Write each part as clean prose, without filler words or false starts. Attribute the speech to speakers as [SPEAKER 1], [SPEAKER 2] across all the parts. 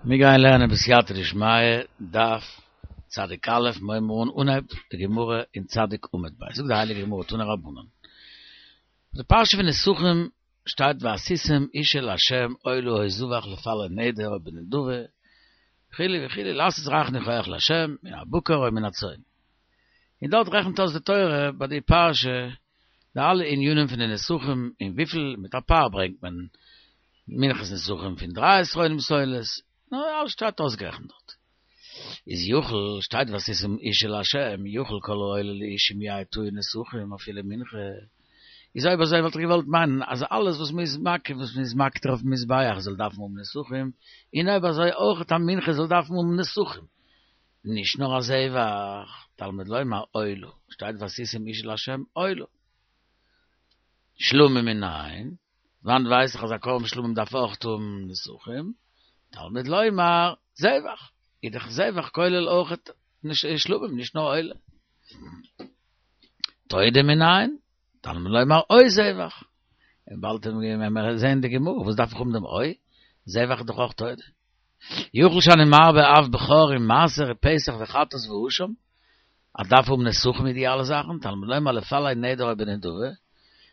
[SPEAKER 1] מיר גייען לערנען בסייעתא דשמיא, דף צדיק א', מיר הייבן אן אנהייב די גמרא אין צדיק עמוד ב', זאגט די הייליגע גמרא תנו רבנן, די פרשה פון נסכים שטייט ועשיתם אשה לה' עולה או זבח לפלא נדר או בנדבה וכו' וכו' לעשות ריח ניחוח לה' מן הבקר או מן הצאן, און דארט רעכנט אויס די תורה ביי די פרשה די אלע ענינים פון די נסכים און וויפיל מיט א פר ברענגט מען מנחת נסכים פון דריי עשרונים סולת, נו אלעס שטייט אויסגערעכנט דארט. איז יכול שטייט ועשיתם אשה לה' יכול כל העולה לאישים יהא טעון נסכים אפילו מנחה, איז אויב אזוי וואלט איך געוואלט מיינען אז אלעס וואס מ'איז מקריב וואס מ'איז מקטיר אויפן מזבח זאל דארפן האבן נסכים, און אויב אזוי אויך א מנחה זאל דארפן האבן נסכים, נישט נאר א זבח, תלמוד לומר עולה, שטייט ועשיתם אשה לה' עולה. שלמים מנין, וואנעט ווייס איך אז א קרבן שלמים דארף אויך האבן נסכים, תלמוד לומר זבח, איז דאך זבח כולל אויך שלמים נישט נאר עולה. תודה מנין, תלמוד לומר או זבח, און באלד וועלן מיר זעהן די גמרא, וואס דארף איך האבן דעם או? זבח איז דאך אויך תודה. יכול שאני מרבה אף בכור ומעשר ופסח וחטאת ואשם, אז דארף האבן נסכים מיט די אלע זאכן, תלמוד לומר לפלא נדר או בנדבה,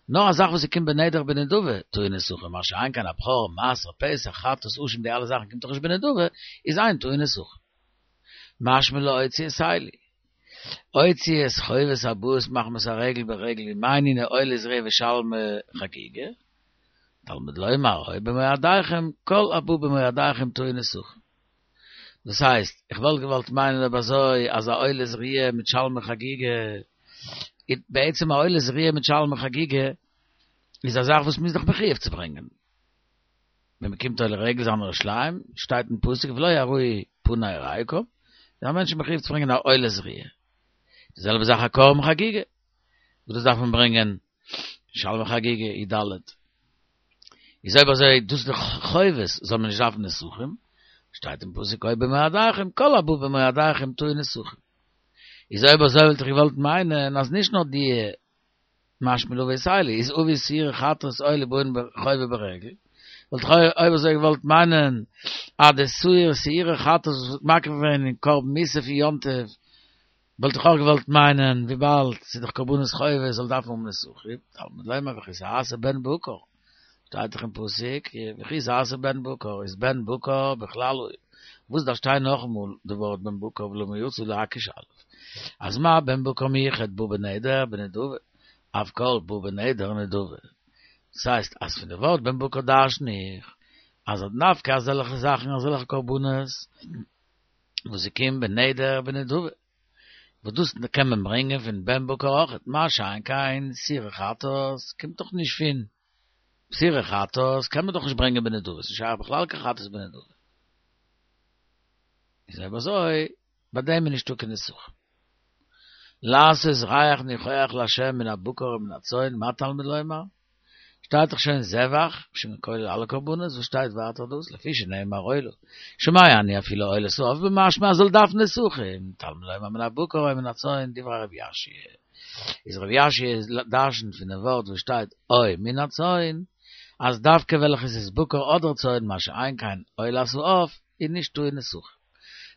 [SPEAKER 1] נאר א זאך וואס ס'קומט בנדר בנדבה טעון נסכים, מה שאין כן א בכור, מעשר, פסח, חטאת, אשם די אלע זאכן קומט דאך נישט בנדבה, איז אין טעון נסכים. משמע להוציא את אלו. הוציא את חובות הבאות מחמת הרגל ברגל ומאי נינהו עולת ראיה ושלמי חגיגה, תלמוד לומר או במועדיכם כל הבא במועדיכם טעון נסכים. דאס הייסט, איך וואלט געוואלט מיינען אויב אזוי אז א עולת ראיה מיט שלמי חגיגה, בעצם א עולת ראיה מיט שלמי חגיגה איז א זאך וואס מ'איז דאך מחויב צו ברענגען. ווען מ'קומט עולה רגל זיין ירושלים, שטייט אין פסוק ולא יראו פני ריקם, איז א מענטש מחויב צו ברענגען א עולת ראיה. די זעלבע זאך א קרבן חגיגה, וואס דאס דארף מען ברענגען שלמי חגיגה י ד. איז אויב אזוי דאס איז דאך חובות זאל מען נישט דארפן נסכים, שטייט אין פסוק או במועדיכם כל הבא במועדיכם טעון נסכים. איז אויב אזוי וואלט איך געוואלט מיינען אז נישט נאר די משמע להביא את אלו איז אביא שעירי חטאת עולה באין חובה ברגל, וואלט איך אויב אזוי געוואלט מיינען אז די שעיר שעירי חטאת וואס ווערט מקריב געווען אין קרבן מוסף אין יום טוב וואלט איך אויך געוואלט מיינען וויבאלד ס'איז דאך קרבנות חובה זאל דארפן האבן נסכים, תלמוד לומר וכי תעשה בן בקר, שטייט דאך אין פסוק וכי תעשה בן בקר, איז בן בקר בכלל וואס דארף שטיין נאכאמאל די ווארט בן בקר ולמה יצא להקיש אלף, אז מה בן בקר מיוחד בא בנדר בנדבה, אף כל בא בנדר נדבה, דאס הייסט אז פון די ווארט בן בקר דרשן איך אז דווקא אזעלכע זאכן אזעלכע קרבנות וואס ס'קומט בנדר בנדבה, וואס דאס קען מען ברענגען פון בן בקר אויכעט, מה שאין כן שעירי חטאת קומט דאך נישט פון שעירי חטאת קען מען דאך נישט ברענגען בנדבה, ס'נישט שייך בכלל קיין חטאת בנדבה. איז אויב אזוי ביי דעם איז נישטא קיין נסכים. לעשות ריח ניחוח לה' מן הבקר ומן הצאן, מה תלמוד לומר? שטייט דאך שוין זבח, שוין כולל אלע קרבנות, וואס שטייט ווייטער דאס? לפי שנאמר עולה. שומע אני אפילו עולת העוף במשמע אז זאל דארפן נסכים, תלמוד לומר מן הבקר או מן הצאן, דברי רבי יאשיה. איז רבי יאשיה דרשנ'ט פון דעם ווארט וואס שטייט או מן הצאן, אז דווקא וועלכעס איז בקר אדער צאן, מה שאין כן עולת העוף, איז נישט טעון נסכים.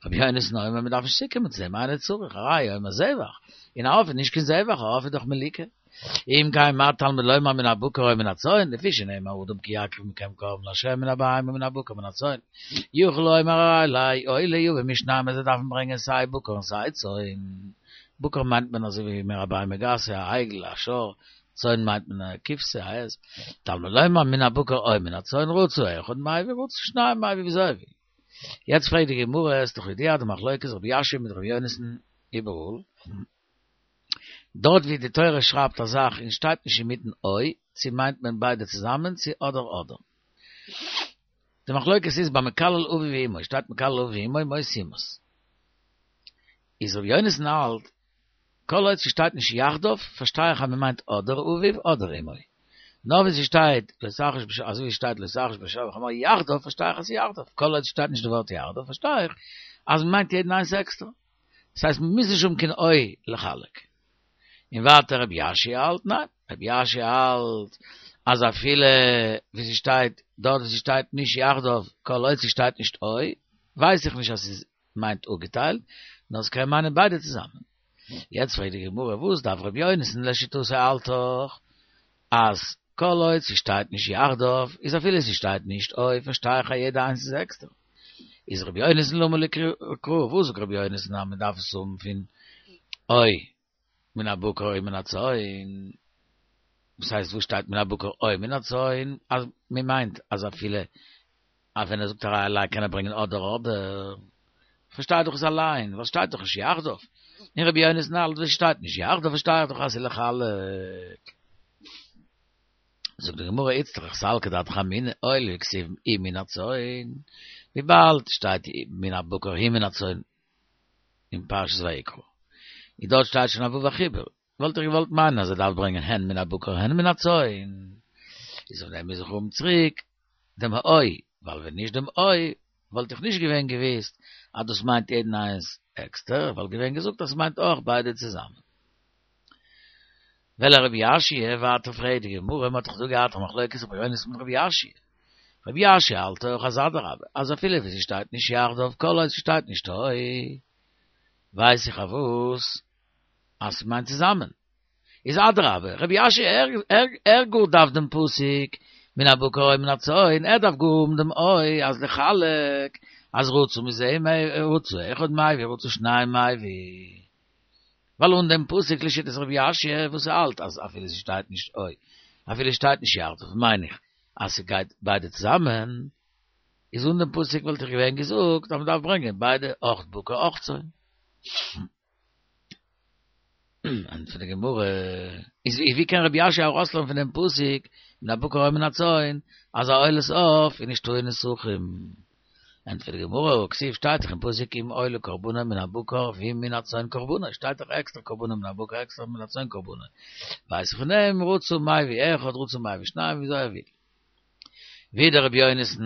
[SPEAKER 1] רבי יונתן אומר מען דארף נישט צוקומען צו דעם, אינו צריך, הראיה אומר זבח, און א עוף איז נישט קיין זבח, א עוף איז דאך מליקה. אם כן מה תלמוד לומר מן הבקר או מן הצאן, לפי שנאמר אדם כי יקריב מכם קרבן לה' מן הבהמה מן הבקר מן הצאן, יכול לומר הראיה לעולה יביא משנים אז זיי דארפן ברענגען סיי בקר און סיי צאן, בקר מיינט מען אזוי ווי מער א בהמה גסה, א עגל, א שור, צאן מיינט מען א כבשה, א עז, תלמוד לומר מן הבקר או מן הצאן רצה אחד מביא רצה שניים מביא וויאזוי ער וויל. יעצט פרעגט די גמרא, עס איז דאך ידוע די מחלוקת רבי יאשיה מיט רבי יונתן איבעראל, דארט ווי די תורה שרייבט א זאך און שטייט נישט אינמיטן או, צו מיינט מען ביידע צוזאמען צו אדער אדער. די מחלוקת איז ביי מקלל אביו ואמו, שטייט מקלל אביו ואמו מות יומת. איז רבי יונתן האלט, כל עוד ס'שטייט נישט יחדיו, פארשטיי איך אז מ'מיינט אדער אביו אדער אמו. נאר ווען ס'שטייט לא תחרוש בשור, אזוי ווי ס'שטייט לא תחרוש בשור ובחמור יחדיו, פארשטיי איך אז ס'איז יחדיו. כל עוד ס'שטייט נישט די ווארט יחדיו, פארשטיי איך אז מ'מיינט יעדן איינס עקסטער. דאס הייסט מ'מוז נישט האבן קיין או לחלק. און ווייטער רבי יאשיה האלט, ניין, רבי יאשיה האלט אז אפילו ווי ס'שטייט דארט ווי ס'שטייט נישט יחדיו, כל עוד ס'שטייט נישט או. ווייס איך נישט אז ס'איז מיינט אפגעטיילט, נאר ס'קען מיינען ביידע צוזאמען. יעצט פרעגט די גמרא וואס דארף ר' יונתן לשיטתו האלט דאך אז כל עוד ס'שטייט נישט יחדיו איז אפילו ס'שטייט נישט או פארשטיי איך אז יעדע איינס איז עקסטער. איז ר' יונתן למה לי קרא וואס זאגט ר' יונתן אז מ'דארף עס האבן פון או מן הבקר או מן הצאן, וואס הייסט וואס שטייט מן הבקר או מן הצאן, אז מען מיינט אז אפילו אז ווען ער זאגט הרי עלי קען ער ברענגען אדער אדער, פארשטיי דאך עס אליין, ווייל שטייט דאך נישט יחדיו, און רבי יונתן האלט ווען שטייט נישט יחדיו פארשטיי איך דאך אז ס'איז לחלק. זאגט די גמרא איצטריך סלקא דעתך אמינא הואיל וכתיב ומן הצאן, וויבאלד שטייט מן הבקר ומן הצאן אין פרשת ויקרא, און דארט שטייט שוין א ו' החיבור, וואלט איך געוואלט מיינען אז ער דארף ברענגען הן מן הבקר הן מן הצאן, איז אויף דעם מוז איך האבן צוריק דעם או, ווייל ווען נישט דעם או וואלט איך נישט געווען געוויסט אז דאס מיינט יעדן איינס עקסטער, איך וואלט געווען געזאגט אז ס'מיינט אויך ביידע צוזאמען. ולרבי יאשיה, ווייטער פרעגט די גמרא, מ'האט דאך דא געהאט א מחלוקת רבי יונתן מיט רבי יאשיה. רבי יאשיה האלט אויך אז אדרבה, אז אפילו ווי ס'שטייט נישט יחדיו כל עוד ס'שטייט נישט או, ווייס איך אויף וואס אז ס'מיינט צוזאמען. איז אדרבה, רבי יאשיה ער ער ער גאר דארף דעם פסוק מן הבקר או מן הצאן, ער דארף גאר האבן דעם או אז לחלק, אז רצה מזה רצה אחד מביא רצה שניים מביא. ווייל אן דעם פסוק לשיטת רבי יאשיה וואס האלט אז אפילו ס'שטייט נישט או, אפילו שטייט נישט יחדיו מיין איך אז ס'גייט ביידע צוזאמען, איז אן דעם פסוק וואלט איך געווען געזאגט אז מ'דארף ברענגען ביידע אויך בקר אויך צאן. ענטפערט די גמרא, איז ווי קען רבי יאשיה ארויסלערנען פון דעם פסוק מן הבקר או מן הצאן אז א עולת עוף איז נישט טעון נסכים? ענטפערט די גמרא, הכתיב שטייט דאך אין פסוק אם עולה קרבנו מן הבקר ואם מן הצאן קרבנו, שטייט דאך עקסטער קרבנו מן הבקר עקסטער מן הצאן קרבנו, ווייס איך פון דעם רצה מביא אחד רצה מביא שניים וויאזוי ער וויל. ווידער רבי יונתן,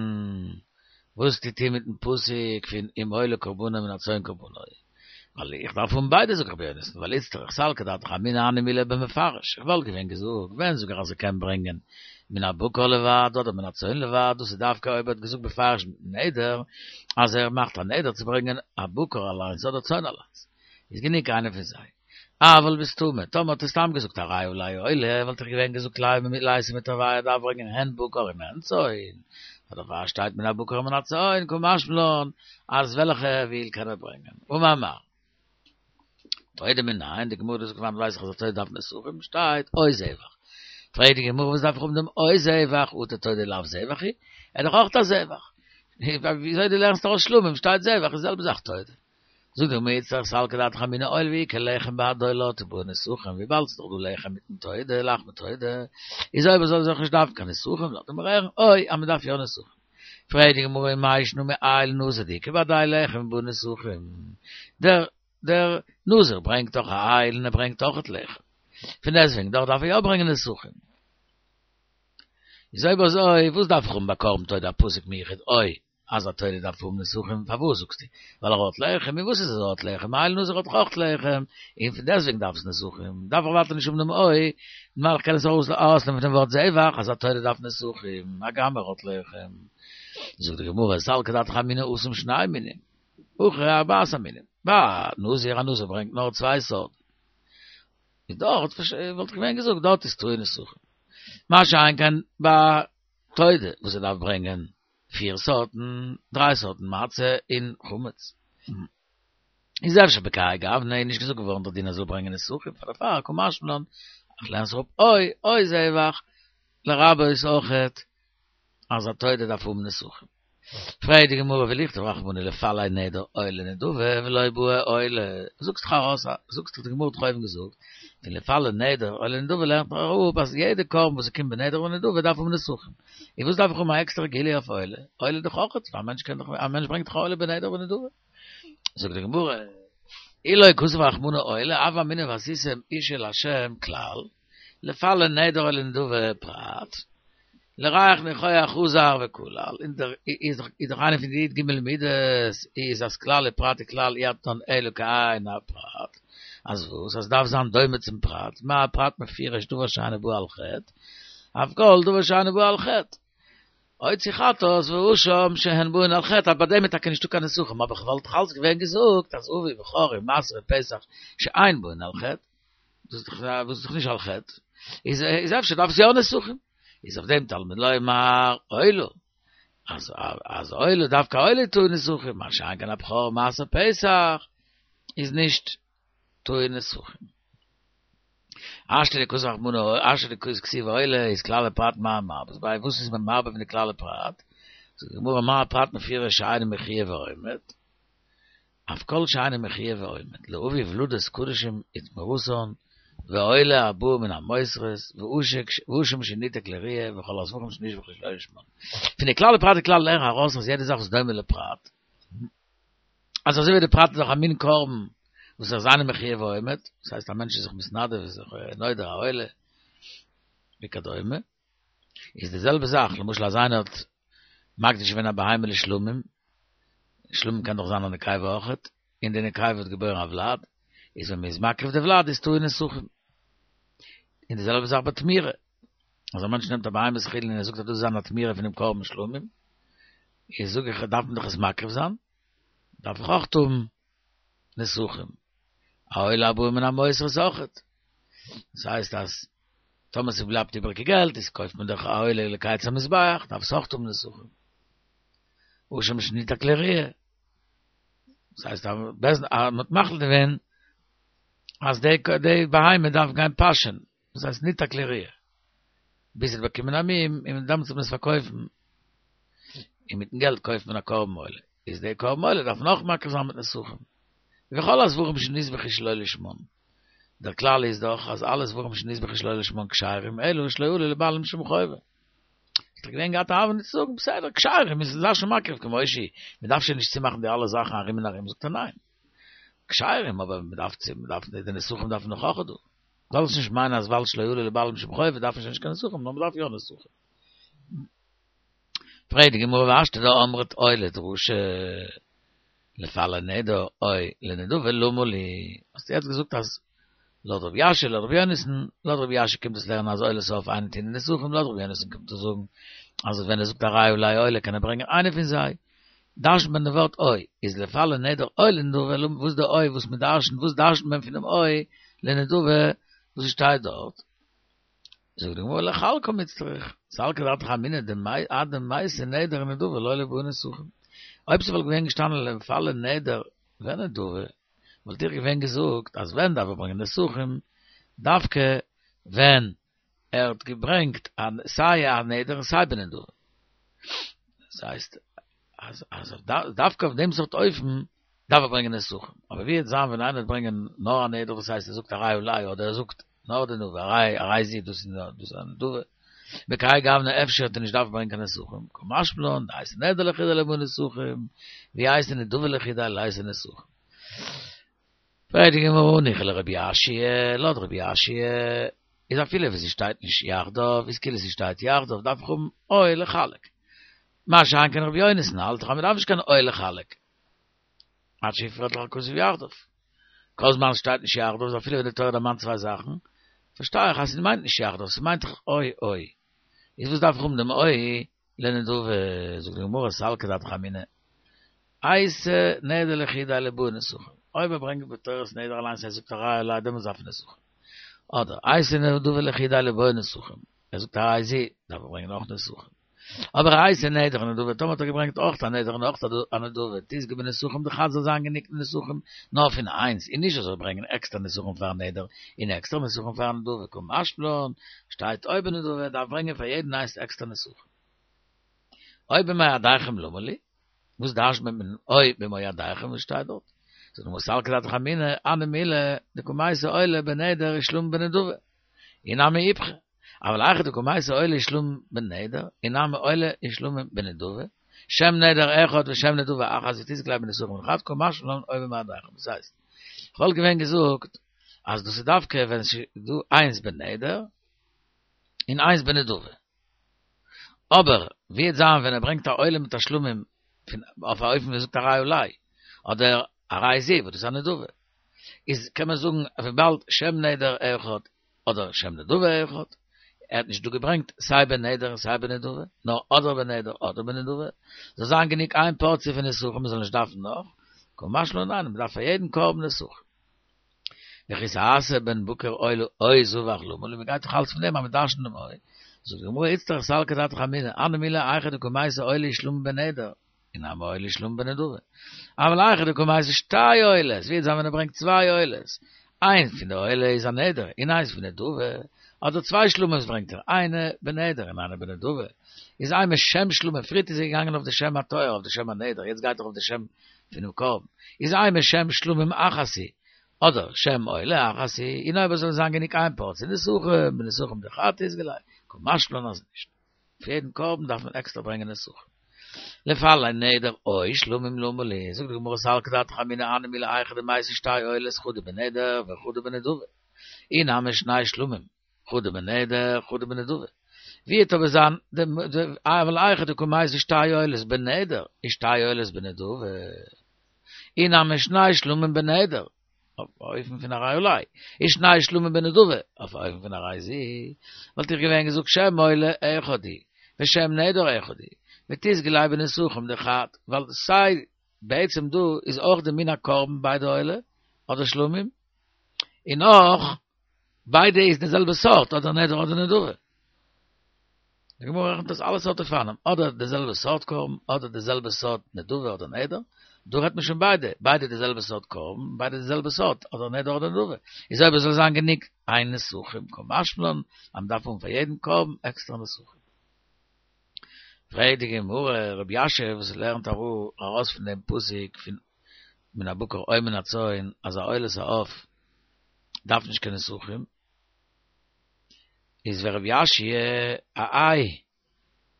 [SPEAKER 1] וואס טוט איר מיטן פסוק פון אם עולה קרבנו מן הצאן קרבנו? ווייל איך דארף האבן ביידע זאגט רבי יונתן, ווייל איצטריך סלקא דעתך אמינא הני מילי במפרש, איך וואלט געווען געזאגט, ווען זאג איך אז ער קען ברענגען מן הבקר לבד אדער מן הצאן לבד, דאס איז דווקא אויב ער האט געזאגט בפירוש מיטן נדר אז ער מאכט א נדר צו ברענגען א בקר אליינס אדער צאן אליינס, איז גענוג איינער פון זיי. אבל בסתמא, טאמער האט ער סתם געזאגט הרי עלי עולה, וואלט איך געווען געזאגט ליתי מיתבא ער דארף ברענגען הן בקר און הן צאן, דערפאר שטייט מן הבקר ומן הצאן, קא משמע לן אז וועלכע ער וויל קען ער ברענגען. אמר מר. תודה מנין, די גמרא זאגט וואנעט ווייס איך אז א תודה דארף נסכים, שטייט או זבח. פרעגט די גמרא וואס דארף איך האבן דעם או זבח, אטו תודה לאו זבח היא? ער איז דאך אויך א זבח. וויאזוי דו לערנסט ארויס שלמים שטייט זבח איז די זעלבע זאך תודה. זאגט די גמרא איצטריך סלקא דעתך אמינא הואיל ואיכא לחם בהדי עולה בעי נסכים וויבאלד ס'איז דאך דא לחם מיטן תודה לחמי תודה איז אויב אזוי זאל איך נישט דארפן קיין נסכים לאזט ער מיר הערן או אז מ'דארף יא נסכים פרעגט די גמרא ומאי שנא מאיל נזיר דאיכא בהדיה לחם ובעי נסכים דער דער נזיר ברענגט דאך א איל און ער ברענגט אויכעט לחם פון דעסטוועגן דאך דארף ער יא ברענגען נסכים איז אויב אזוי וואס דארף איך האבן ביי קרבן תודה א פסוק מיוחד או אז א תודה דארף האבן נסכים, פארוואס זאגסטו? ווייל ער האט לחם, און וואס איז אז ער האט לחם? איל נזיר האט דאך אויך לחם, און פון דעסטוועגן דארף עס נסכים, דארף איך ווייטער נישט האבן דעם או, ווייל איך קען עס ארויסלערנען פון דעם ווארט זבח אז א תודה דארף נסכים, הגם ער האט לחם. זאגט די גמרא, סלקא דעתך אמינא התם שני מינים, הכא ארבעת המינים, ביי נזיר, א נזיר ברענגט נאר צוויי סארטן, איז דארט וואלט איך געווען געזאגט דארט איז טעון נסכים, מה שאין כן ביי תודה וואס ער דארף ברענגען פיר סארטן, דריי סארטן מצה און חמץ. איז אפשר בכהאי גוונא איז נישט געזאגט געווארן דער דין אז זאל ברענגען נסכים פאר דערפאר קא משמע לן, איך לערן זיך אפ או או זבח לרבות אויכעט אז א תודה דארף האבן נסכים. פרעגט די גמרא ולכתוב רחמנא לפלא נדר עולה נדבה ולא בעי עולה, זאגסט דאך ארויס זאגסט דאך די גמרא האט דאך אויבן געזאגט פון לפלא נדר עולה נדבה לערנט מען אראפ אז יעדע קרבן וואס ס'קומט בנדר ונדבה דארף האבן נסכים. און וואס דארף איך האבן א עקסטערע גילוי אויף עולה? עולה איז דאך אויך, א מענטש קען דאך, א מענטש ברענגט דאך עולה בנדר ונדבה. זאגט די גמרא, אי לא כתב רחמנא עולה, הוה אמינא ועשיתם אשה לה' כלל, לפלא נדר או לנדבה פרט, לריח ניחוח חזר וכלל, און דער איז דאך איז דאך איינע פון די י"ג מידות איז אז כלל ופרט וכלל אי אתנן אלא כעין הפרט, אז וואס? אז דארף זיין דומה צום פרט, מה הפרט מפורש דבר שאינו בא על חטא, אף כל דבר שאינו בא על חטא. הוציא חטאת ואשם שהן באין על חטא, אז ביי דעם איז טאקע נישטא קיין נסכים, אבער כ'וואלט דאך אלץ געווען געזאגט אז אביא בכור ומעשר ופסח שאין באין על חטא, דאס איז דאך וואס איז דאך נישט על חטא, איז איז אפשר דארף עס יא נסכים, איז אויף דעם תלמוד לומר עולה, אז אז עולה דווקא עולה טעון נסכים, מה שאין כן א בכור מעשר פסח איז נישט טעון נסכים. השתא דכתב רחמנא השתא דכתיב עולה איז כלל ופרט מאי מרבית ביה וואס איז מען מרבה פון די כלל ופרט? זאגט די גמרא מה הפרט מפורש שאינו מחויב ועומד אף כל שאינו מחויב ועומד להביא ולדות קדשים ותמורתן ועולה הבאה מן המותרות ואשם שניתק לראיה וכל הזבחים שנזבחו שלא לשמן פון די כלל ופרט די כלל לערן ארויס אז יעדע זאך וואס דומה לפרט אז אזוי ווי די פרט איז דאך א מין קרבן וואס איז אינו מחויב ועומד, דאס הייסט א מענטש איז זיך מתנדב איז זיך נודר א עולה וכדומה, איז די זעלבע זאך למשל אז איינער האט מקדיש געווען א בהמה לשלמים, שלמים קען דאך זיין א נקבה אויכעט, און די נקבה האט געבוירן א ולד, איז ווען מען איז מקריב די ולד איז טעון נסכים. און די זעלבע זאך ביי תמורה, אז א מענטש נעמט א בהמת חולין און ער זאגט אז דאס איז זיין א תמורה פונעם קרבן שלמים, איז זאג איך דארף מען דאך עס מקריב זיין, דארף איך אויך האבן נסכים, א עולה הבאה מן המותרות אויכעט, דאס הייסט אז טאמער ס'בלייבט איבעריגע געלט איז קויפט מען דאך א עולה לקיץ המזבח, דארף עס אויך האבן נסכים. אשם שניתק לראיה, דאס הייסט אז בית דין האט מחליט געווען אז די בהמה דארף גיין פאשען, דאס הייסט ניתק לראיה, ביז ס'וועט באקומען א מום, און דעמאלטס וועט מען עס פארקויפן, און מיטן געלט קויפט מען א קרבן עולה, איז די קרבן עולה דארף מען אויך מקריב זיין מיט נסכים, וכל הזבחים שנזבחו שלא לשמן, דער כלל איז דאך אז אלע זבחים שנזבחו שלא לשמן כשרים, אלא שלא עלו לבעלים שום חובה. איז דאך געווען געהאט א הוה אמינא צו זאגן, בסדר, כשרים איז זיי שוין מקריב כמו שהיא, מען דארף שוין נישט צומאכן די אלע זאכן ארום און ארום, זאגט ער ניין, כשרים, אבער מען דארף צו, מען דארף, די נסכים דארף מען נאך אויך דא. זאלסט נישט מיינען אז ווייל שלא עלו לבעלים שום חובה דארף מען שוין נישט קיין נסכים, נאר מען דארף יא נסכים. פרעגט די גמרא והשתא דאמרת או לדרשה לפלא נדר או לנדבה למה לי, האסט יעצט געזאגט אז לויט רבי יאשיה לויט רבי יונתן, לויט רבי יאשיה קומט עס לערנען אז עולת העוף אינה טעונה נסכים, לויט רבי יונתן קומט עס זאגן אז ווען ער זאגט הרי עלי עולה קען ער ברענגען איינע פון זיי, דרש'נט מען די ווארט או, איז לפלא נדר או לנדבה, וואס די או וואס מען דרש'נט, וואס דרש'נט מען פונעם או לנדבה וואס עס שטייט דארט? זאגט די גמרא לחלקה מיצטריך, סלקא דעתך אמינא אדמייתי נדר ונדבה לא ליבעי נסכים. אויב ס'וואלט געווען געשטאנען לפלא נדר ונדבה, וואלט איך געווען געזאגט אז ווען דארף ער ברענגען נסכים, דווקא ווען ער האט געברענגט סיי א נדר און סיי בנדבה. דאס הייסט אז אז דווקא אויף דעם סארט אופן דארף ער ברענגען נסכים. אבער ווי וועט זיין ווען איינער וועט ברענגען נאר א נדר וואס הייסט ער זאגט הרי עלי אדער ער זאגט נאר די נדבה הרי הרי זו דאס איז דאס א נדבה. בכהאי גוונא אפשר וועט ער נישט דארפן ברענגען קיין נסכים. קא משמע לן דאייתי נדר לחודיה ליבעי נסכים ואי אייתי נדבה לחודיה ליתי נסכים. פרעגט די גמרא הניחא לרבי יאשיה, לויט רבי יאשיה איז אפילו ווען ס'שטייט נישט יחדיו איז כאילו ס'שטייט יחדיו דארף איך האבן או לחלק. מה שאין כן רבי יונתן האלט דאך אז מ'דארף נישט קיין או לחלק. עד שיפרט לך הכתוב יחדיו. כל זמן ס'שטייט נישט יחדיו איז אפילו ווען די תורה דערמאנט צוויי זאכן, פארשטיי איך אז ס'מיינט נישט יחדיו, ס'מיינט דאך או או. איז וואס דארף איך האבן דעם או לנדבה, זאגט די גמרא סלקא דעתך אמינא, אייתי נדר לחודיה ליבעי נסכים, אויב ער ברענגט בתורת נדר אליינס ער זאגט הרי עלי דעמאלטס דארף ער נסכים, אדער אייתי נדבה לחודיה ליבעי נסכים, ער זאגט הרי זו, דארף ער ברענגען אויך נסכים. אבער אייתי נדר ונדבה, טאמער האט ער געברענגט אויך א נדר און אויך א נדבה, תיזכי בנסכים דחד זאל זיין גענוג נסכים נאר פון איינס, און נישט ער זאל ברענגען עקסטער נסכים פארן נדר און עקסטער נסכים פארן נדבה, קא משמע לן, שטייט או בנדבה, דארף ברענגען פאר יעדן איינס עקסטער נסכים. או במועדיכם למה לי? וואס דרש'נט מען מיטן או במועדיכם וואס שטייט דארט? זאגט די גמרא סלקא דעתך אמינא, הני מילי דקא מייתי עולה בנדר ושלמים בנדבה, אי נמי איפכא, אבל היכא דקא מייתי עולה ושלמים בנדר, אי נמי עולה ושלמים בנדבה, שם נדר אחד ושם נדבה אחת ותזכי ליה בנסכים דחד קא משמע לן או במועדיכם, דאס הייסט, כ'וואלט געווען געזאגט אז דאס איז דווקא ווען ס'איז דא איינס בנדר און איינס בנדבה. אבער ווי וועט זיין ווען ער ברענגט א עולה מיט א שלמים פון אויף א אופן ווי ער זאגט הרי עלי אדער הרי זו וואס דאס איז א נדבה איז קען מען זאגן וויבאלד שם נדר אחד אדער שם נדבה אחד. ער האט נישט דא געברענגט סיי בנדר און סיי בנדבה, נאר אדער בנדר אדער בנדבה, זאל זיין גענוג איין פארציע פון נסכים מען זאל נישט דארפן נאך, קא משמע לן ניין, מען דארף פאר יעדן קרבן נסכים. וכי תעשה בן בקר עולה או זבח למה לי, מען גייט דאך אלץ פון דעם אז מען דרש'נט דעם או, זאגט די גמרא איצטריך סלקא דעתך אמינא, הני מילי היכא דקא מייתי עולה ושלמים בנדר, אי נמי עולה ושלמים בנדבה. אבל היכא דקא מייתי שתי עולות, ווי וועט זיין ווען ער ברענגט צוויי עולות, איינס פון די עולה איז א נדר, און איינס פון נדבה, אדער צוויי שלמים'ס ברענגט ער, איינע בנדר און איינע בנדבה, איז אימא שם שלמים, פריערט איז ער געגאנגען אויף די שם הטהור, אויף די שם הנדר, יעצט גייט ער אויף די שם פונעם קרבן, איז אימא שם שלמים אחת היא, אדער שם עולה אחת היא, און אויב עס זאל זיין גענוג איין פארציע נסכים, בנסכים דחד תיסגי ליה, קא משמע לן אז נישט. אויף יעדן קרבן דארף מען עקסטער ברענגען נסכים. לפלא נדר או שלמים למה לי, זאגט די גמרא סלקא דעתך אמינא הני מילי היכא דמייתי שתי עולות חדא בנדר וחדא בנדבה, אי נמי שני שלמים, חדא בנדר חדא בנדבה. ווי וועט אבער זיין אבל היכא דקא מייתי שתי עולות בנדר ושתי עולות בנדבה, אי נמי שני שלמים בנדר, אויף אופן פון הרי עלי, ושני שלמים בנדבה, אויף אופן פון הרי זו, וואלט איך געווען געזאגט שם עולה אחד הוא, ושם נדר אחד הוא, ותיסגי ליה בנסכים דחד, ווייל סיי בעצם דא איז אויך די מין הקרבן ביידע עולה אדער שלמים, און אויך ביידע איז די זעלבע סארט אדער נדר אדער נדבה. די גמרא רעכנט אויס אלע סארט אופנים, אדער די זעלבע סארט קרבן, אדער די זעלבע סארט נדבה אדער נדר, דא רעדט מען שוין ביידע, ביידע די זעלבע סארט קרבן, ביידע די זעלבע סארט, אדער נדר אדער נדבה, איז אויב עס זאל זיין גענוג איין נסכים, קא משמע לן אז מען דארף האבן פאר יעדן קרבן עקסטערע נסכים. פרעגט די גמרא, רבי יאשיה וואס לערנט ארויס פון דעם פסוק פון מן הבקר או מן הצאן אז א עולת העוף דארף נישט קיין נסכים, איז ורבי יאשיה האי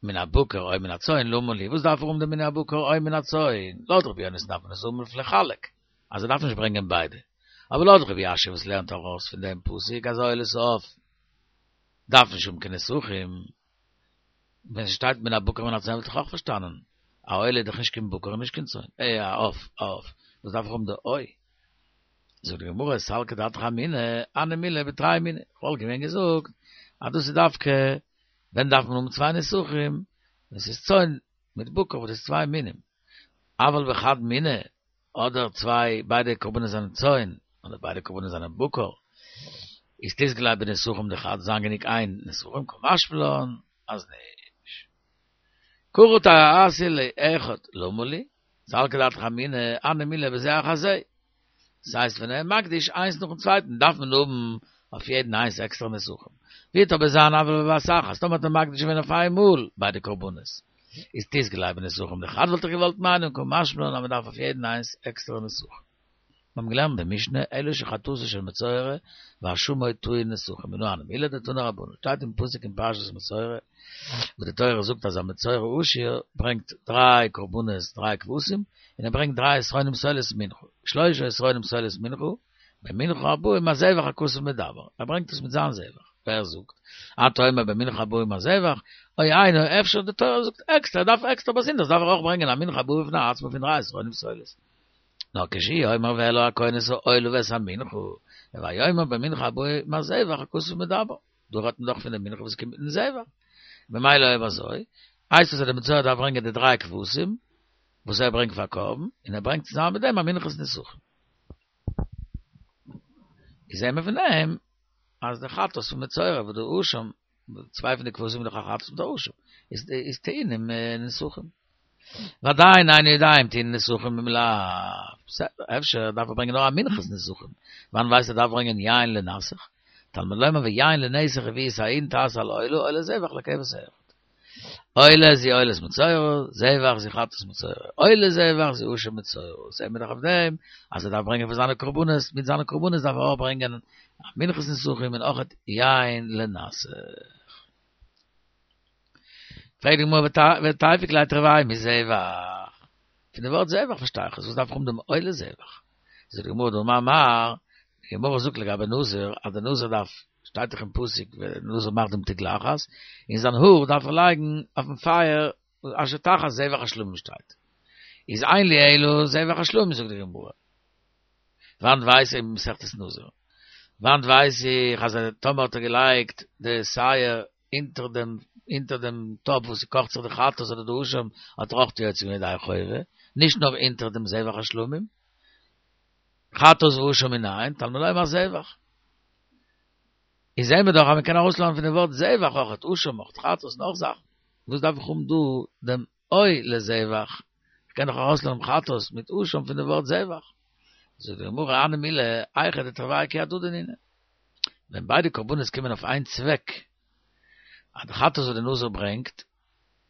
[SPEAKER 1] מן הבקר או מן הצאן למה לי, וואס דארף ער האבן דעם מן הבקר או מן הצאן? לויט רבי יונתן דארף מען עס האבן אויף לחלק, אז ער דארף נישט ברענגען ביידע, אבער לויט רבי יאשיה וואס לערנט ארויס פון דעם פסוק אז עולת העוף דארף נישט האבן קיין נסכים, ווען ס'שטייט מן הבקר מן הצאן וואלט איך אויך פארשטאנען, א עולה איז דאך נישט קיין בקר און נישט קיין צאן, אה א עוף, א עוף, וואס דארף איך האבן די או? זאגט די גמרא סלקא דעתך אמינא, הני מילי בתרי מיני, כ'וואלט געווען געזאגט אז דאס איז דווקא ווען דארף מען האבן צוויי נסכים, ווען ס'איז צאן מיט בקר וואס איז צוויי מינים, אבל בחד מינא, אדער צוויי ביידע קרבנות זענען צאן, אדער ביידע קרבנות זענען בקר, איז תיסגי ליה בנסכים דחד זיין גענוג איין נסכים קא משמע לן אז נישט. כרע תעשה לאחד למה לי, סלקא דעתך אמינא, הני מילי בזה אחר זה. דאס הייסט ווען ער מקדיש איינס נאכן צווייטן דארף מען האבן אויף יעדן איינס עקסטערע נסכים. ווי וועט אבער זיין אבל בבת אחת, טאמער האט ער מקדיש געווען אויף איין מאל ביידע קרבנות, איז תיסגי ליה בנסכים דחד וואלט איך געוואלט מיינען קא משמע לן אז מען דארף אויף יעדן איינס עקסטערע נסכים. מיר האבן געלערנט די משנה, אלו שחטאתו של מצורע ואשמו טעון נסכים, מנא הני מילי דתנו רבנן, שטייט אין פסוק אין פרשת מצורע, וואס די תורה זאגט אז א מצורע עשיר ברענגט דריי קרבנות דריי כבשים, און ער ברענגט דריי עשרונים סולת מנחה, שלשה עשרונים סולת מנחה, במנחה הבאה עם הזבח הכתוב מדבר, ער ברענגט עס מיט זיין זבח, ווער זאגט? אתה אומר במנחה הבאה עם הזבח, או אינו, אפשר די תורה זאגט עקסטער, ער דארף עקסטער באזונדערס דארף ער אויך ברענגען א מנחה הבאה בפני עצמו פון דריי עשרונים סולת. נאר כשהוא אומר והעלה הכהן את העולה ואת המנחה, הוי אומר במנחה הבאה עם הזבח הכתוב מדבר. דא רעדט מען דאך פון די מנחה וואס קומט מיטן זבח. ממילא אויב אזוי, הייסט עס אז די מצורע דארף ברענגען די דריי כבשים וואס ער ברענגט פאר קרבן, און ער ברענגט צוזאמען מיט דעם א מנחת נסכים. איז זעהן מיר פון דעם אז די חטאת פון מצורע וואס די אשם צוויי פון די כבשים איז דאך א חטאת מיט א אשם, איז איז טעונים נסכים. ועדיין איני יודע אם טעונים נסכים אם לאו. בסדר, אפשר דארף ער ברענגען נאר א מנחת נסכים. וואנען ווייסט ער דארף ברענגען יין לנסך? תלמוד לומר ויין לנסך הביאו את ההין תעשה על העולה עולת זבח לכבש אחד. עולה זו עולת מצורע, זבח זו חטאת מצורע, עולת זבח זו אשם מצורע, זעהן מיר דאך אויף דעם אז ער דארף ברענגען פאר זיינע קרבנות, מיט זיינע קרבנות דארף ער אויך ברענגען א מנחת נסכים און אויך יין לנסך. פרעגט די גמרא ותיפוק ליה תרוייהו מזבח, פון די ווארט זבח פארשטיי איך עס, וואס דארף איך האבן דעם עולת זבח? זאגט די גמרא דאמר מר, די גמרא זאגט לגבי נזיר אז די נזיר דארף שטייט דאך אין פסוק ווען נזיר מאכט דעם תגלחת, און זיין האר דארף ער לייגן אויפן פייער אשר תחת זבח השלמים שטייט. איז אין לי אלא זבח השלמים זאגט די גמרא. וואנעט ווייס איך מסכת נזיר. וואנעט ווייס איך אז טאמער האט ער געלייגט די שער. אונטער דעם אונטער דעם טאפ וואס ס'קאכט זיך די חטאת אדער די אשם האט ער אויך יוצא געווען ידי חובה, נישט נאר אונטער דעם זבח השלמים. חטאת ואשם מנין, תלמוד לומר זבח. איז זעהן מיר דאך אז מ'קען ארויסלערנען פון די ווארט זבח אויך אשם אויך חטאת נאך זאכן. וואס דארף איך האבן דא דעם או לזבח? כ'קען דאך ארויסלערנען חטאת מיט אשם פון די ווארט זבח. זאגט די גמרא הני מילי היכא דתרוייהו כי הדדי נינהו. ווען ביידע קרבנות קומען אויף איין צוועק, אז די חטאת וואס די נזיר ברענגט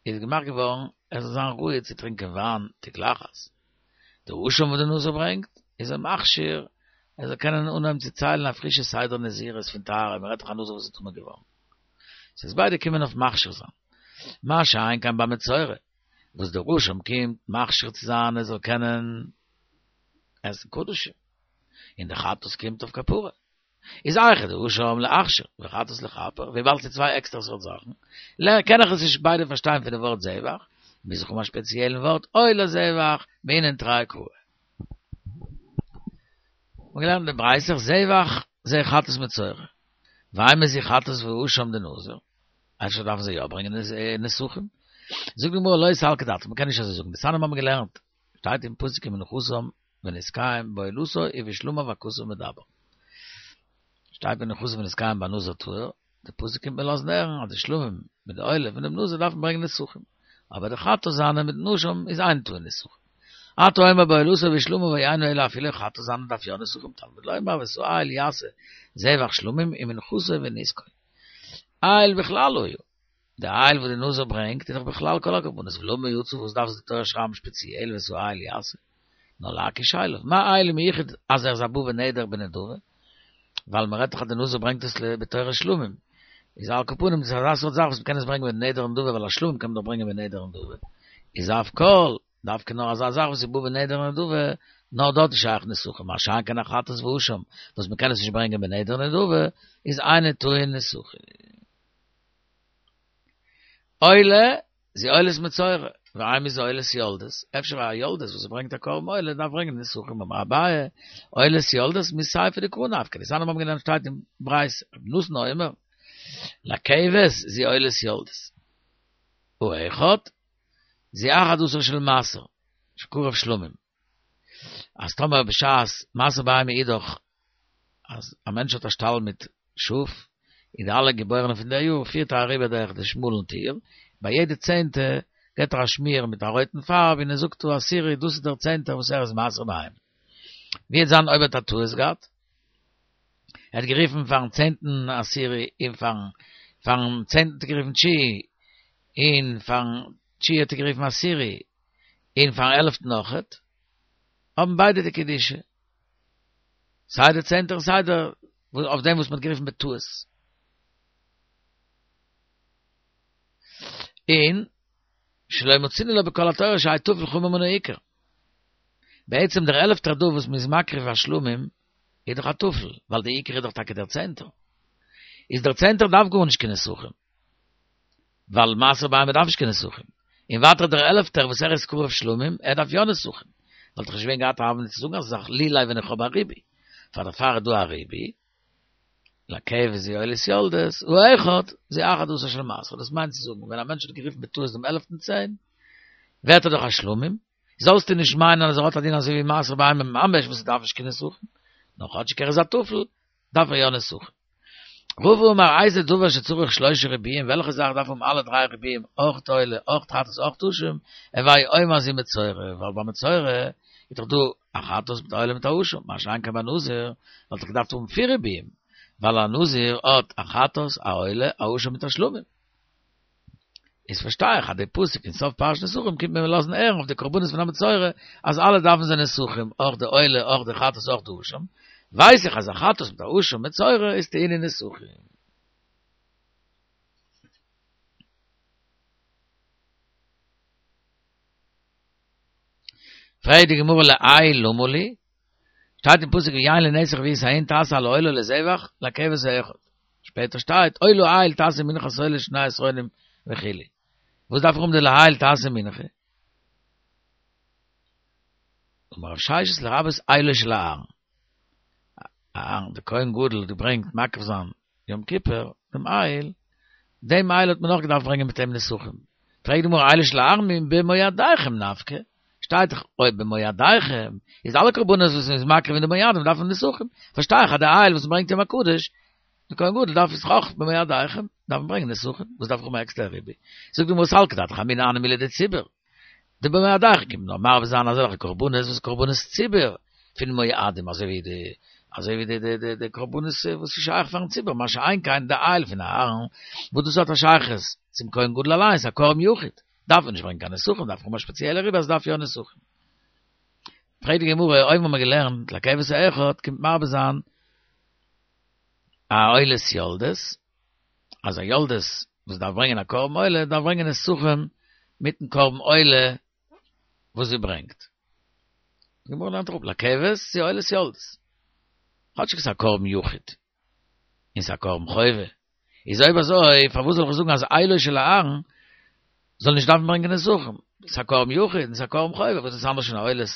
[SPEAKER 1] איז געמאכט געווארן ער זאל זיין ראוי צו טרינקען וויין תגלחת, די אשם וואס די נזיר ברענגט איז אים מכשיר ער זאל קענען אנהויבן צו ציילן א פרישע סדר נזירות פון טהרה, מען רעדט דאך א נזיר וואס איז טמא געווארן, ס'איז ביידע קומען אויף מכשיר זיין, מה שאין כן ביי מצורע וואס דער אשם קומט מכשיר צו זיין ער זאל קענען עסן קדשים, און די חטאת קומט אויף כפרה. איז היכא דאשם לאכשר וחטאת לכפר, וויבאלד ס'איז צוויי עקסטערע סארט זאכן, קען איך עס נישט ביידע פארשטיין פון די ווארט זבח, מוז איך האבן א ספעציעלן ווארט או לזבח, מהינן תרי קראי. מ'האט געלערנט די ברייתא זבח זה חטאת מצורע, ואימא זו חטאת ואשם דנזיר, אפשר דארפן זיי יא ברענגען נסכים? זאגט די גמרא לא סלקא דעתך, מ'קען נישט אזוי זאגן, דתניא מ'האבן געלערנט, שטייט אין פסוק ומנחתם ונסכיהם בעולתו ובשלמיו הכתוב מדבר. שטייט ומנחתם ונסכיהם ביי נזיר טהור, די פסוק קומט מיר לאזן הערן אז די שלמים מיט די עולה פון דעם נזיר דארפן ברענגען נסכים, אבער די חטאת זיינע מיטן אשם איז אין טעון נסכים. אתה אומר בעולתו ובשלמיו אינו אלא אפילו חטאת זיינע דארף יא נסכים תלמוד לומר ואת האיל יעשה זבח שלמים ומנחתו ונסכו. איל בכלל היה. די איל וואס די נזיר ברענגט איז דאך בכלל כל הקרבנות, ולמה יצא וואס דארף עס די תורה שרייבן שפעציעל ואת האיל יעשה? נאר להקיש אליו, מה איל מיוחד אז ער איז א בא בנדר בנדבה? ווייל מען רעדט דאך אז די נזיר ברענגט עס בתורת שלמים, איז על כל פנים דאס איז אזא סארט זאך וואס מען קען עס ברענגען בנדר ונדבה ווייל א שלמים קען מען דאך ברענגען בנדר ונדבה, איז אף כל, דווקא נאר אזא זאך וואס איז בא בנדר ונדבה, נאר דארט איז שייך נסכים, מה שאין כן א חטאת ואשם וואס מען קען עס נישט ברענגען בנדר ונדבה, איז אינו טעון נסכים. עולה, זו עולת מצורע, ואימא זו עולת יולדת, אפשר א יולדת וואס ברענגט א קרבן עולה דארף ברענגען נסכים אמר אביי, עולת יולדת מסיפא דקרא נפקא, דתניא מיר האבן געלערנט שטייט אין ברייתא, רבי נתן אומר, לכבש זו עולת יולדת, האחד, זו אחד עשר של מעשר, שקרב שלמים. אז טאמער בשעת מעשר בהמה איז דאך אז א מענטש האט א שטאל מיט שאף, און די אלע געבוירענע פון די יאר פירט ער אריבער דורך די שמאלן טיר, ביי יעדע צענטע געט ער א שמיר מיט א רויטן פארב און ער זאגט העשירי דאס איז דער צענטער וואס ער איז מעשר בהמה. ווי וועט זיין אויב ער האט א טעות געהאט? ער האט גערופן פארן צענטן עשירי און פארן פארן צענטן האט ער גערופן תשיעי און פארן תשיעי האט ער גערופן עשירי און פארן עלפטן אויכעט, האבן ביידע די קדושה. סיי דער צענטער און סיי דער אויף דעם וואס מ'האט גערופן בטעות. און שלא מצינו לה בכל התורה שיהא טפל חמור מן העיקר. בעצם דער עלפטער דא וואס מ'איז מקריב א שלמים איז דאך א טפל, ווייל די עיקר איז דאך טאקע דער צענטער. איז דער צענטער דארף גארנישט קיין נסכים. ווייל מעשר בהמה דארף נישט קיין נסכים. און ווייטער דער עלפטער וואס ער איז קרב שלמים, ער דארף יא נסכים. וואלט איך נישט געווען געהאט א הוה אמינא צו זאגן אזא זאך לולי ווען איך האב א ריבוי. פאר דערפאר איז דא א ריבוי, לכבש זו עולת יולדת, האחד, זו אחד עשר של מעשר. דאס מיינט צו זאגן, ווען א מענטש האט גערופן בטעות דעם עלפטן צען, ווערט ער דאך א שלמים, זאלסטו נישט מיינען אז ער האט א דין אזוי ווי מעשר בהמה ממש וואס עס דארף נישט קיין נסכים, נאר כאטשיג ער איז א טפל, דארף ער יא נסכים. רבא אמר איזה דבר שצריך שלושה ריבויים, וועלכע זאך דארף האבן אלע דריי ריבויים, אויך עולה, אויך חטאת, אויך אשם, הוי אומר זו מצורע, ווייל ביי מצורע איז דאך דא א חטאת מיט א עולה מיט א אשם, מה שאין כן ביי נזיר וואלט איך געדארפט האבן פיר ריבויים, ווייל א נזיר האט א חטאת, א עולה, א אשם מיט א שלמים. איז פארשטיי איך אז די פסוק אין סוף פרשת נסכים קומט מיר לאזן הערן אויף די קרבנות פון א מצורע אז אלע דארפן זיי נסכים, אויך די עולה, אויך די חטאת, אויך די אשם, ווייס איך אז א חטאת מיט א אשם מצורע איז טעונין נסכים. פרעגט די גמרא לאיל למה לי? שטייט אין פסוק ויין לנסך והיית ההין תעשה על העולה לזבח לכבש האחד. שפעטער שטייט או לאיל תעשה מנחת עולה שני עשרונים וכו'. וואס דארף איך האבן די לאיל תעשה מנחה? אמר רב ששת לרבות אילו של אהרן. אהרן דער כהן גדול האט געברענגט מקריב זיין יום כיפור דעם איל. דעם איל האט מען נאך געדארפט ברענגען מיט אים נסכים. פרעגט די גמרא אילו של אהרן במועדיכם נפקא, שטייט דאך או במועדיכם, איז אלע קרבנות וואס מ'איז מקריב אין די מועדים דארף מען נסכים, פארשטיי איך אז די איל וואס מ'ברענגט יום הקדוש, די כהן גדול דארף עס אויך במועדיכם, דארף מען ברענגען נסכים, וואס דארף איך האבן א עקסטערע ריבוי? זאגט די גמרא סלקא דעתך אמינא הני מילי דציבור, די במועדיכם קומט נאר מרבה זיין אזעלכע קרבנות וואס קרבנות ציבור פון מועדים אזוי ווי די אזוי ווי די די די די קרבנות וואס איז שייך פארן ציבור מה שאין כן די איל פון אהרן וואס דאס האט א שייכות צום כהן גדול אליינס א קרבן יחיד דארף מען נישט ברענגען קיין נסכים דארף האבן א ספעציעלע ריבוי אז דארף יא נסכים. פרעגט די גמרא אויבן האבן מיר געלערנט לכבש האחד קומט מרבה זיין א עולת יולדת אז א יולדת וואס דארף ברענגען א קרבן עולה דארף ברענגען נסכים מיטן קרבן עולה וואס זי ברענגט. די גמרא לערנט אראפ לכבש צו עולת יולדת. כאטשיג ס'איז א קרבן יחיד און ס'איז א קרבן חובה. איז אויב אזוי פארוואס זאל איך זאגן אז אילו של אהרן זאל נישט דארפן ברענגען נסכים? ס'איז א קרבן יחיד און ס'איז א קרבן חובה, וואס איז אנדערש פון א עולת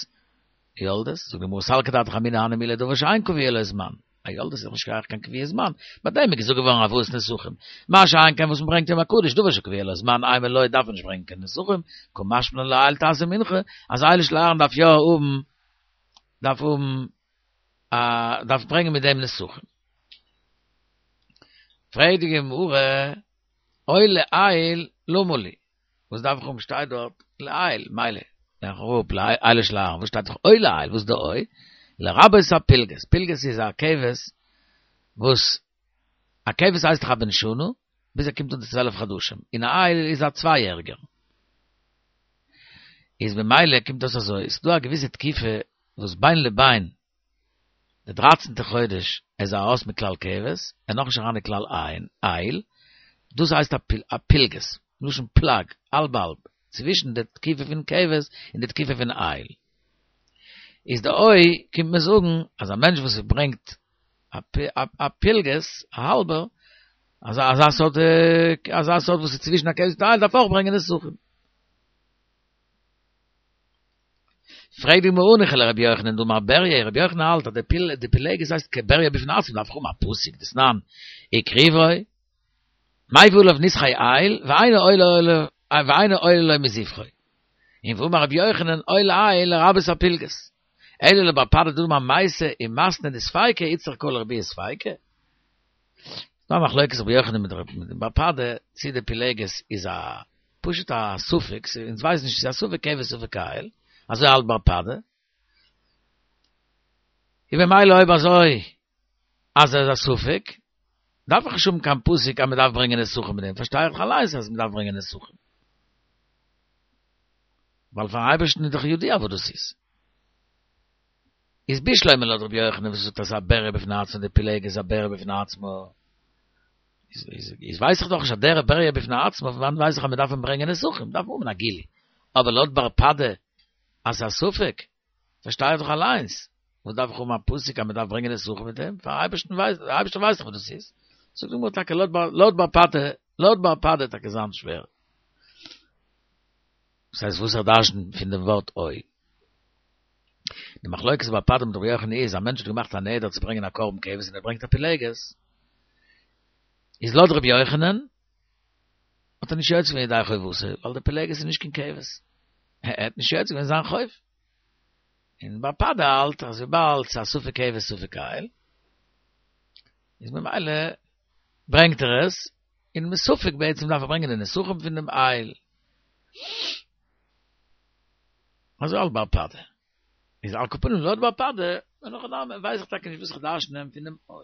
[SPEAKER 1] יולדת? זאגט די גמרא סלקא דעתך אמינא הני מילי דבר שאין קבוע לו זמן. א יולדת איז דאך נישט שייך קיין קביעות זמן, ביי דעם איז געזאגט געווארן הבאת נסכים, מה שאין כן וואס מ'ברענגט יום הקדוש, דבר שקבוע לו זמן אימא לא דארף מען נישט ברענגען קיין נסכים, קא משמע לן לאיל תעשה מנחה, אז אילו של אהרן דארף יא האבן, דארף האבן א, דארף ברענגען מיט דעם נסכים. פרעגט די גמרא, או לאיל למה לי? וואס דארף איך האבן שטייט דארט לאיל, מילא, לערן איך אראפ לאילו של אהרן, וואס שטייט דאך או לאיל, וואס איז די או? לרבות הפילגת, פילגת איז א כבש וואס, א כבש הייסט דאך א בן שנה, ביז ער קומט אן צו 12 חדשים, און א איל איז א צוויי יעריגער. איז במילא קומט אויס אזוי, ס'דא א געוויסע תקופה וואס בין לבין די דרייצענטע חודש איז ער ארויס מכלל כבש, ער נאך נישט אריין אין כלל איל, דאס הייסט א פילגת, מלשון פלג, האלב האלב, צווישן די תקופה פון כבש און די תקופה פון איל. איז די או קומט מען זאגן אז א מענטש וואס ברענגט א פילגת, א האלבער, אזא סארט אזא סארט וואס איז צווישן א כבש און איל דארף אויך ברענגען נסכים. פרעגט די גמרא הניחא לרבי יוחנן דאמר בריה, רבי יוחנן האלט אז די פיל די פילגת הייסט כבריה בפני עצמו דארף איך האבן א פסוק דתנן הקריבו מביא עליו נסכי איל ואינו עולה ואינו עולה לו מזבחו און ואמר רבי יוחנן או לאיל לרבות הפילגת אלא לבר פדא דאמר מייתא ומתני דספיקא איצטריך קרא לרבויי ספיקא ס'דא א מחלוקת רבי יוחנן מיט בר פדא צי די פילגת איז א פשוט א ספק, אונז ווייסן נישט צו ס'איז א ספק כבש ספק איל, אזוי האלט בר פדא. און במילא אויב אזוי אז ער איז א ספק, דארף איך נישט האבן קיין פסוק אז מ'דארף ברענגען נסכים מיט דעם, פארשטיי איך אליינס אז מ'דארף ברענגען נסכים. ווייל פארן אייבערשטן איז דאך ידוע וואס דאס איז. איז בשלמא לויט רבי יוחנן וואס זאגט אז ס'איז א בריה בפני עצמו די פילגש איז א בריה בפני עצמו, איז ווייס איך דאך נישט אז דער בריה בפני עצמו, פון וואנעט ווייס איך אז מ'דארף אים ברענגען נסכים, דארף מען האבן א גילוי. אבער לויט בר פדא אז ס'איז א ספק, פארשטיי איך דאך אליינס, וואס דארף איך האבן א פסוק אז מ'דארף ברענגען נסכים מיט דעם, פארן אייבערשטן ווייסט, דער אייבערשטער ווייסט דאך וואס דאס איז. זאגט די גמרא טאקע לויט בר פדא, לויט בר פדא טאקע זיין שווער. דאס הייסט וואס ער דרש'נט פון דעם ווארט או. די מחלוקת בר פדא מיט רבי יוחנן איז, א מענטש האט געמאכט א נדר צו ברענגען א קרבן כבש און ער ברענגט א פילגת, איז לויט רבי יוחנן האט ער נישט יוצא געווען ידי חובתו, ווייל די פילגת איז נישט קיין כבש, ער האט נישט יוצא געווען זיין חוב. און בר פדא האלט אז וויבאלד ס'איז א ספק כבש ספק איל, איז ממילא ברענגט ער עס, און מספק בעצם דארף ער ברענגען די נסכים פון דעם איל. אזוי האלט בר פדא. איז על כל פנים לויט בר פדא, אין הכי נמי, ווייס איך טאקע נישט וואס איך דרש'ן פון דעם או.